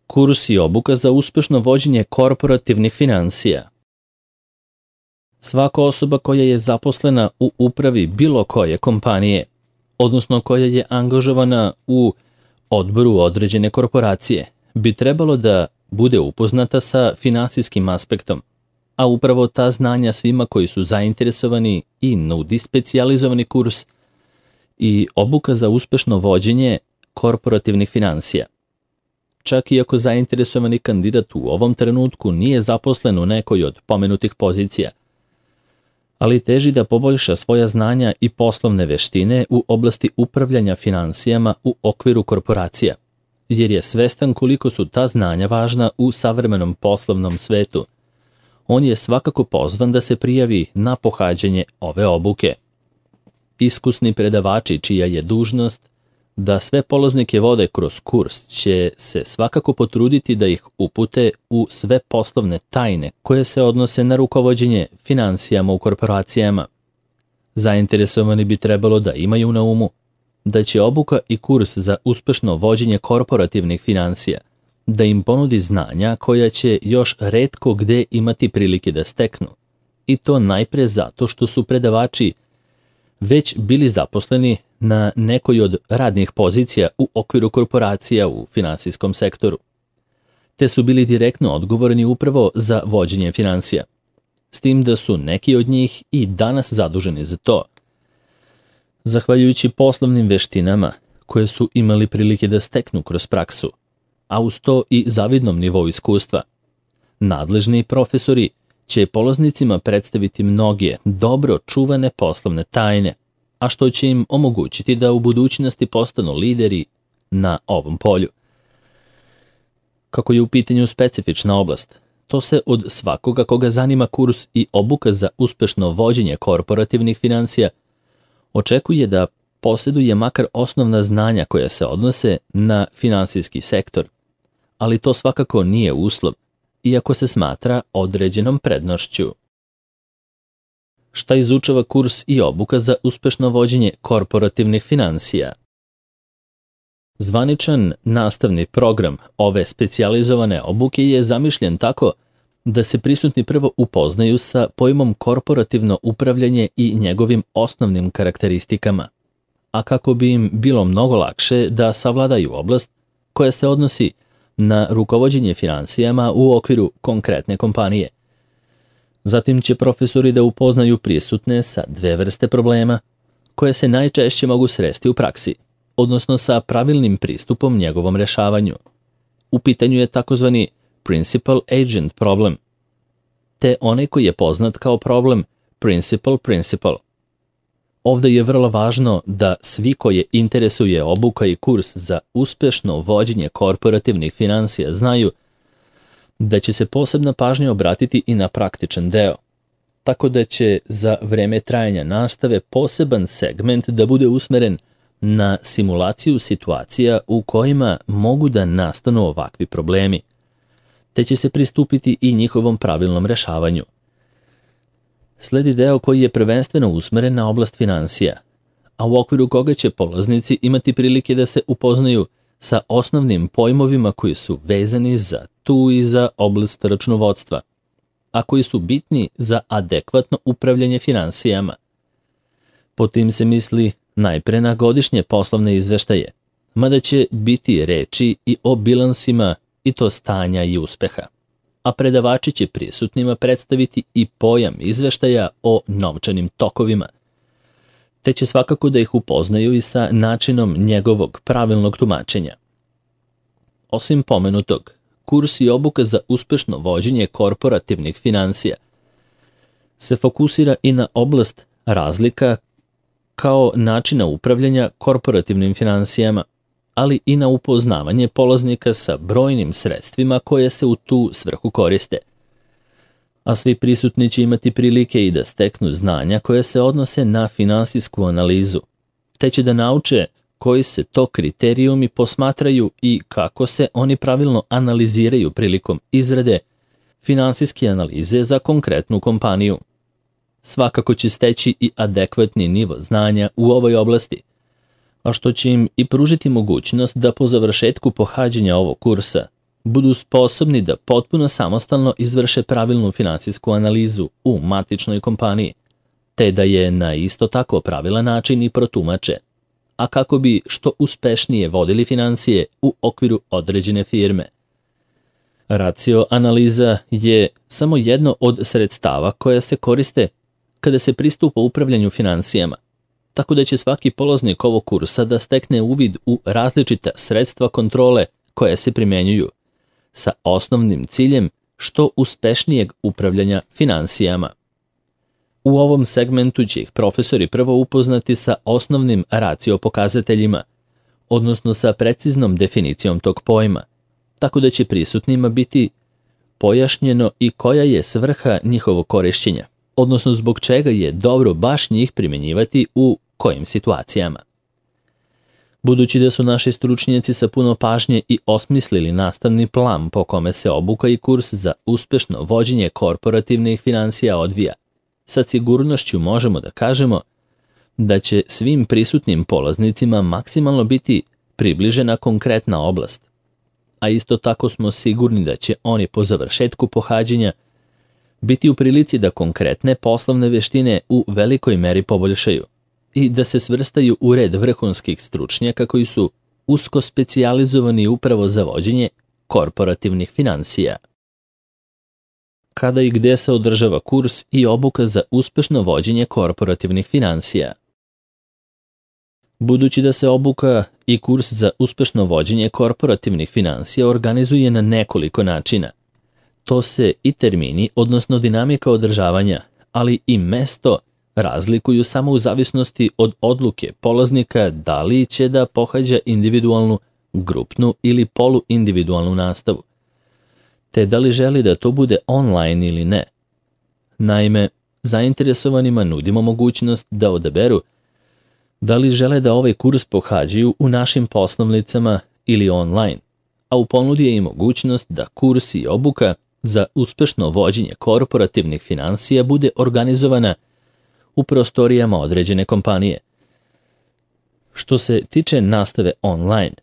Kurs i obuka za uspešno vođenje korporativnih finansija. Svaka osoba koja je zaposlena u upravi bilo koje kompanije, odnosno koja je angažovana u odboru određene korporacije, bi trebalo da bude upoznata sa finansijskim aspektom, a upravo ta znanja svima koji su zainteresovani i nudi specijalizovani kurs i obuka za uspešno vođenje korporativnih finansija. Čak i ako zainteresovani kandidat u ovom trenutku nije zaposlen u nekoj od pomenutih pozicija, ali teži da poboljša svoja znanja i poslovne veštine u oblasti upravljanja finansijama u okviru korporacija, jer je svestan koliko su ta znanja važna u savremenom poslovnom svetu. On je svakako pozvan da se prijavi na pohađanje ove obuke. Iskusni predavači, čija je dužnost da sve polaznike vode kroz kurs, će se svakako potruditi da ih upute u sve poslovne tajne koje se odnose na rukovođenje finansijama u korporacijama. Zainteresovani bi trebalo da imaju na umu da će obuka i kurs za uspešno vođenje korporativnih finansija da im ponudi znanja koja će još retko gde imati prilike da steknu, i to najpre zato što su predavači već bili zaposleni na nekoj od radnih pozicija u okviru korporacija u finansijskom sektoru, te su bili direktno odgovorni upravo za vođenje finansija, s tim da su neki od njih i danas zaduženi za to. Zahvaljujući poslovnim veštinama koje su imali prilike da steknu kroz praksu, a uz to i zavidnom nivou iskustva, nadležni profesori će polaznicima predstaviti mnoge dobro čuvane poslovne tajne, a što će im omogućiti da u budućnosti postanu lideri na ovom polju. Kako je u pitanju specifična oblast, to se od svakoga koga zanima kurs i obuka za uspešno vođenje korporativnih finansija očekuje da posjeduje makar osnovna znanja koja se odnose na finansijski sektor, ali to svakako nije uslov, iako se smatra određenom prednošću. Šta izučava kurs i obuka za uspešno vođenje korporativnih finansija? Zvaničan nastavni program ove specijalizovane obuke je zamišljen tako da se prisutni prvo upoznaju sa pojmom korporativno upravljanje i njegovim osnovnim karakteristikama, a kako bi im bilo mnogo lakše da savladaju oblast koja se odnosi na rukovođenje finansijama u okviru konkretne kompanije. Zatim će profesori da upoznaju prisutne sa dve vrste problema koje se najčešće mogu sresti u praksi, odnosno sa pravilnim pristupom njegovom rešavanju. U pitanju je takozvani principal agent problem, te onaj koji je poznat kao problem principal. Ovde je vrlo važno da svi koje interesuje obuka i kurs za uspešno vođenje korporativnih finansija znaju da će se posebna pažnja obratiti i na praktičan deo, tako da će za vreme trajanja nastave poseban segment da bude usmeren na simulaciju situacija u kojima mogu da nastanu ovakvi problemi, te će se pristupiti i njihovom pravilnom rešavanju. Sledi deo koji je prvenstveno usmeren na oblast finansija, a u okviru koga će polaznici imati prilike da se upoznaju sa osnovnim pojmovima koji su vezani za tu i za oblast računovodstva, a koji su bitni za adekvatno upravljanje finansijama. Po tim se misli najpre na godišnje poslovne izveštaje, mada će biti reči i o bilansima i to stanja i uspeha, a predavači će prisutnima predstaviti i pojam izveštaja o novčanim tokovima, te će svakako da ih upoznaju i sa načinom njegovog pravilnog tumačenja. Osim pomenutog, kurs i obuka za uspešno vođenje korporativnih finansija se fokusira i na oblast razlika kao načina upravljanja korporativnim finansijama, ali i na upoznavanje polaznika sa brojnim sredstvima koje se u tu svrhu koriste. A svi prisutni će imati prilike i da steknu znanja koje se odnose na finansijsku analizu, te će da nauče koji se to kriterijumi posmatraju i kako se oni pravilno analiziraju prilikom izrade finansijske analize za konkretnu kompaniju. Svakako će steći i adekvatni nivo znanja u ovoj oblasti, a što će im i pružiti mogućnost da po završetku pohađanja ovog kursa budu sposobni da potpuno samostalno izvrše pravilnu finansijsku analizu u matičnoj kompaniji, te da je na isto tako pravilan način i protumače, a kako bi što uspešnije vodili finansije u okviru određene firme. Racio analiza je samo jedno od sredstava koja se koriste kada se pristupa upravljanju finansijama, tako da će svaki polaznik ovog kursa da stekne uvid u različita sredstva kontrole koja se primenjuju, sa osnovnim ciljem što uspešnijeg upravljanja finansijama. U ovom segmentu će ih profesori prvo upoznati sa osnovnim racio pokazateljima, odnosno sa preciznom definicijom tog pojma, tako da će prisutnima biti pojašnjeno i koja je svrha njihovog korišćenja, odnosno zbog čega je dobro baš njih primenjivati u kojim situacijama. Budući da su naši stručnjaci sa puno pažnje i osmislili nastavni plan po kome se obuka i kurs za uspešno vođenje korporativnih finansija odvija, sa sigurnošću možemo da kažemo da će svim prisutnim polaznicima maksimalno biti približena konkretna oblast, a isto tako smo sigurni da će oni po završetku pohađanja biti u prilici da konkretne poslovne veštine u velikoj meri poboljšaju i da se svrstaju u red vrhunskih stručnjaka koji su usko specijalizovani upravo za vođenje korporativnih finansija. Kada i gde se održava kurs i obuka za uspešno vođenje korporativnih finansija? Budući da se obuka i kurs za uspešno vođenje korporativnih finansija organizuje na nekoliko načina, to se i termini, odnosno dinamika održavanja, ali i mesto razlikuju samo u zavisnosti od odluke polaznika da li će da pohađa individualnu, grupnu ili poluindividualnu nastavu, te da li želi da to bude online ili ne. Naime, zainteresovanima nudimo mogućnost da odaberu da li žele da ovaj kurs pohađaju u našim poslovnicama ili online, a u ponudi je i mogućnost da kurs i obuka za uspešno vođenje korporativnih finansija bude organizovana u prostorijama određene kompanije. Što se tiče nastave online,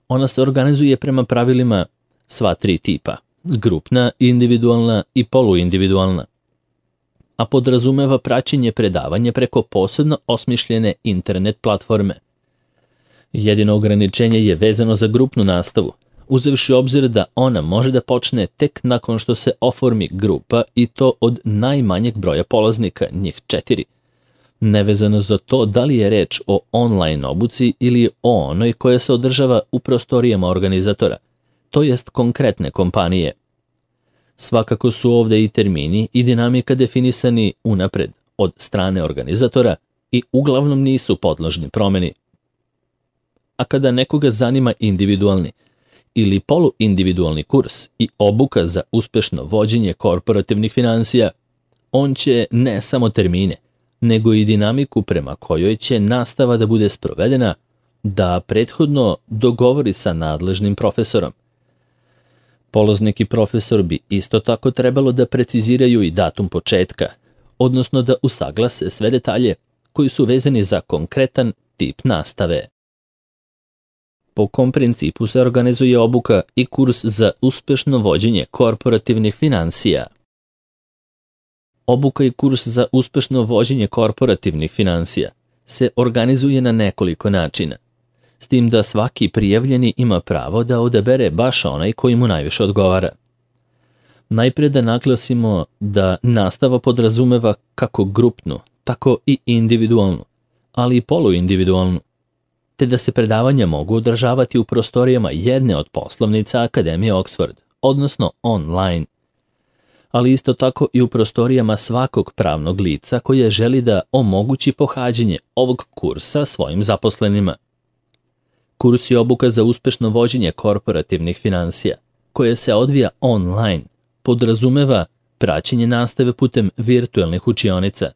ona se organizuje prema pravilima sva tri tipa, grupna, individualna i poluindividualna, a podrazumeva praćenje predavanja preko posebno osmišljene internet platforme. Jedino ograničenje je vezano za grupnu nastavu, uzevši obzir da ona može da počne tek nakon što se oformi grupa i to od najmanjeg broja polaznika, njih 4, nevezano za to da li je reč o online obuci ili o onoj koja se održava u prostorijama organizatora, to jest konkretne kompanije. Svakako su ovde i termini i dinamika definisani unapred od strane organizatora i uglavnom nisu podložni promeni. A kada nekoga zanima individualni ili poluindividualni kurs i obuka za uspešno vođenje korporativnih finansija, on će ne samo termine, nego i dinamiku prema kojoj će nastava da bude sprovedena, da prethodno dogovori sa nadležnim profesorom. Polaznik i profesor bi isto tako trebalo da preciziraju i datum početka, odnosno da usaglase sve detalje koji su vezani za konkretan tip nastave. Po kom principu se organizuje obuka i kurs za uspešno vođenje korporativnih finansija? Obuka i kurs za uspešno vođenje korporativnih finansija se organizuje na nekoliko načina, s tim da svaki prijavljeni ima pravo da odabere baš onaj koji mu najviše odgovara. Najpre da naglasimo da nastava podrazumeva kako grupnu, tako i individualnu, ali i poluindividualnu, te da se predavanja mogu održavati u prostorijama jedne od poslovnica Akademije Oxford, odnosno online, ali isto tako i u prostorijama svakog pravnog lica koje želi da omogući pohađanje ovog kursa svojim zaposlenima. Kurs i obuka za uspešno vođenje korporativnih finansija, koje se odvija online, podrazumeva praćenje nastave putem virtuelnih učionica,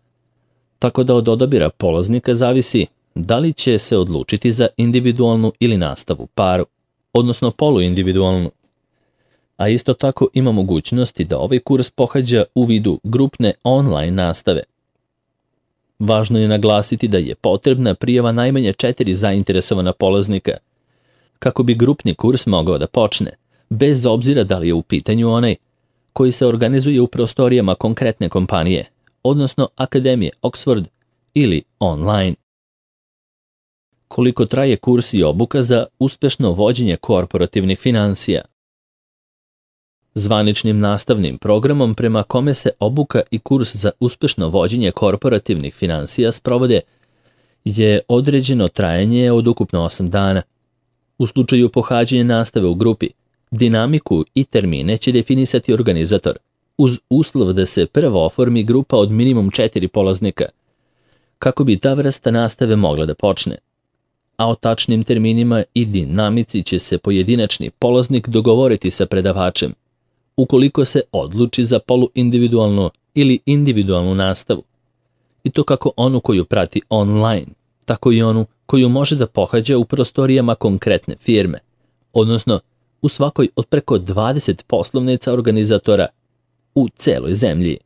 tako da od odabira polaznika zavisi da li će se odlučiti za individualnu ili nastavu paru, odnosno poluindividualnu. A isto tako ima mogućnosti da ovaj kurs pohađa u vidu grupne online nastave. Važno je naglasiti da je potrebna prijava najmanje 4 zainteresovana polaznika. Kako bi grupni kurs mogao da počne, bez obzira da li je u pitanju onaj koji se organizuje u prostorijama konkretne kompanije, odnosno Akademije Oxford ili online. Koliko traje kurs i obuka za uspešno vođenje korporativnih finansija? Zvaničnim nastavnim programom prema kome se obuka i kurs za uspešno vođenje korporativnih finansija sprovode je određeno trajanje od ukupno 8 dana. U slučaju pohađanja nastave u grupi, dinamiku i termine će definisati organizator, uz uslov da se prvo oformi grupa od minimum 4 polaznika, kako bi ta vrsta nastave mogla da počne. A o tačnim terminima i dinamici će se pojedinačni polaznik dogovoriti sa predavačem, ukoliko se odluči za poluindividualnu ili individualnu nastavu. I to kako onu koju prati online, tako i onu koju može da pohađa u prostorijama konkretne firme, odnosno u svakoj od preko 20 poslovnica organizatora u celoj zemlji.